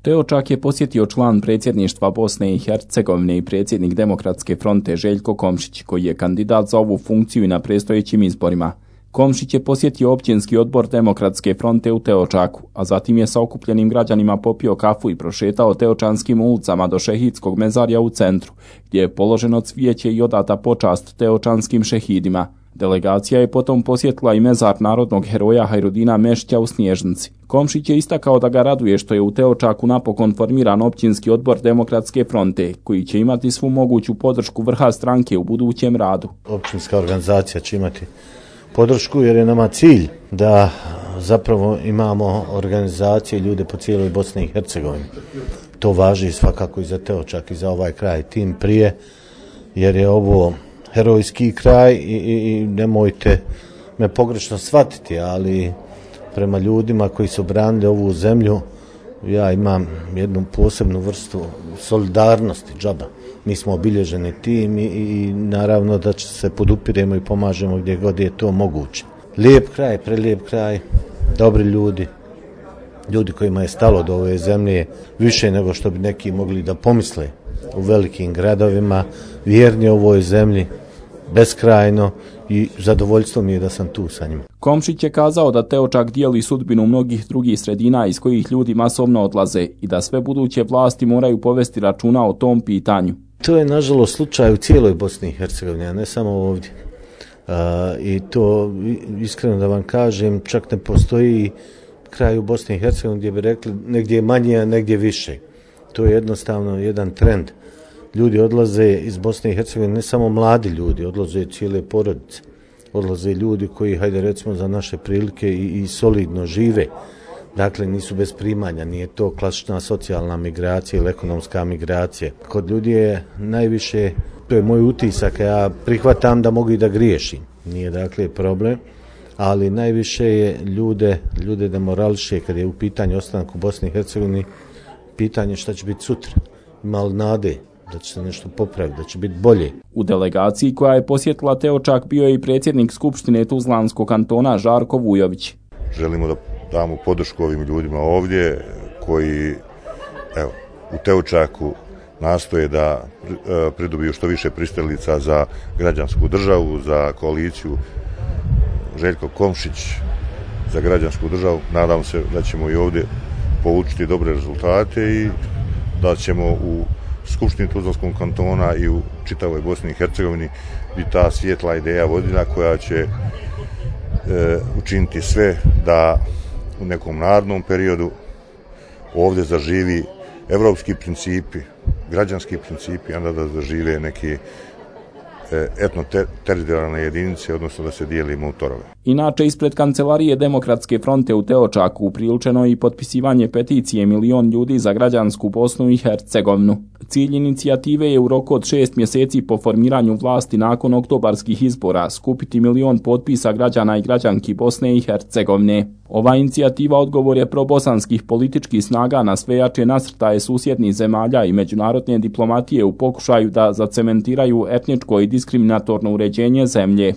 Teočak je posjetio član predsjedništva Bosne i Hercegovine i predsjednik Demokratske fronte Željko Komšić, koji je kandidat za ovu funkciju i na predstojećim izborima. Komšić je posjetio općinski odbor Demokratske fronte u Teočaku, a zatim je sa okupljenim građanima popio kafu i prošetao teočanskim ulicama do šehidskog mezarja u centru, gdje je položeno cvijeće i odata počast teočanskim šehidima. Delegacija je potom posjetila i mezar narodnog heroja Hajrudina Mešća u Snježnici. Komšić je istakao da ga raduje što je u Teočaku napokon formiran općinski odbor Demokratske fronte, koji će imati svu moguću podršku vrha stranke u budućem radu. Općinska organizacija će imati podršku jer je nama cilj da zapravo imamo organizacije i ljude po cijeloj Bosni i Hercegovini. To važi svakako i za Teočak i za ovaj kraj, tim prije jer je ovo herojski kraj i nemojte me pogrešno shvatiti, ali prema ljudima koji su branili ovu zemlju ja imam jednu posebnu vrstu solidarnosti, džaba. Mi smo obilježeni tim i naravno da se podupiremo i pomažemo gdje god je to moguće. Lijep kraj, prelijep kraj, dobri ljudi, ljudi kojima je stalo do ove zemlje više nego što bi neki mogli da pomisle u velikim gradovima, vjerni ovoj zemlji, beskrajno i zadovoljstvo mi je da sam tu sa njima. Komšić je kazao da Teočak dijeli sudbinu mnogih drugih sredina iz kojih ljudi masovno odlaze i da sve buduće vlasti moraju povesti računa o tom pitanju. To je nažalost slučaj u cijeloj Bosni i Hercegovini, a ne samo ovdje. I to iskreno da vam kažem, čak ne postoji kraj u Bosni i Hercegovini gdje bi rekli negdje je manje, a negdje više. To je jednostavno jedan trend. Ljudi odlaze iz Bosne i Hercegovine, ne samo mladi ljudi, odlaze cijele porodice. Odlaze ljudi koji, hajde recimo za naše prilike i solidno žive. Dakle, nisu bez primanja, nije to klasična socijalna migracija ili ekonomska migracija. Kod ljudi je najviše, to je moj utisak, ja prihvatam da mogu i da griješim. Nije dakle problem, ali najviše je ljude demorališe kad je u pitanju ostanak u Bosni i Hercegovini, pitanje šta će biti sutra. Ima li nade da će se nešto popraviti, da će biti bolje. U delegaciji koja je posjetila Teočak bio je i predsjednik Skupštine Tuzlanskog kantona Žarko Vujović. Želimo da damo podršku ovim ljudima ovdje koji u Teočaku nastoje da pridobiju što više pristalica za građansku državu, za koaliciju Željko Komšić za građansku državu. Nadam se da ćemo i ovdje polučiti dobre rezultate i da ćemo u Skupštini Tuzlanskog kantona i u čitavoj Bosni i Hercegovini biti ta svijetla ideja vodilja koja će učiniti sve da u nekom narednom periodu ovdje zaživi evropski principi, građanski principi, onda da zažive neki etno-teritorijalne jedinice, odnosno da se dijelimo u torove. Inače, ispred kancelarije Demokratske fronte u Teočaku upriličeno je i potpisivanje peticije 1 milion ljudi za građansku Bosnu i Hercegovinu. Cilj inicijative je u roku od 6 mjeseci po formiranju vlasti nakon oktobarskih izbora skupiti 1 milion potpisa građana i građanki Bosne i Hercegovine. Ova inicijativa odgovor je probosanskih političkih snaga na sve jače nasrtaje susjednih zemalja i međunarodne diplomatije u pokušaju da zacementiraju etničko i diskriminatorno uređenje zemlje.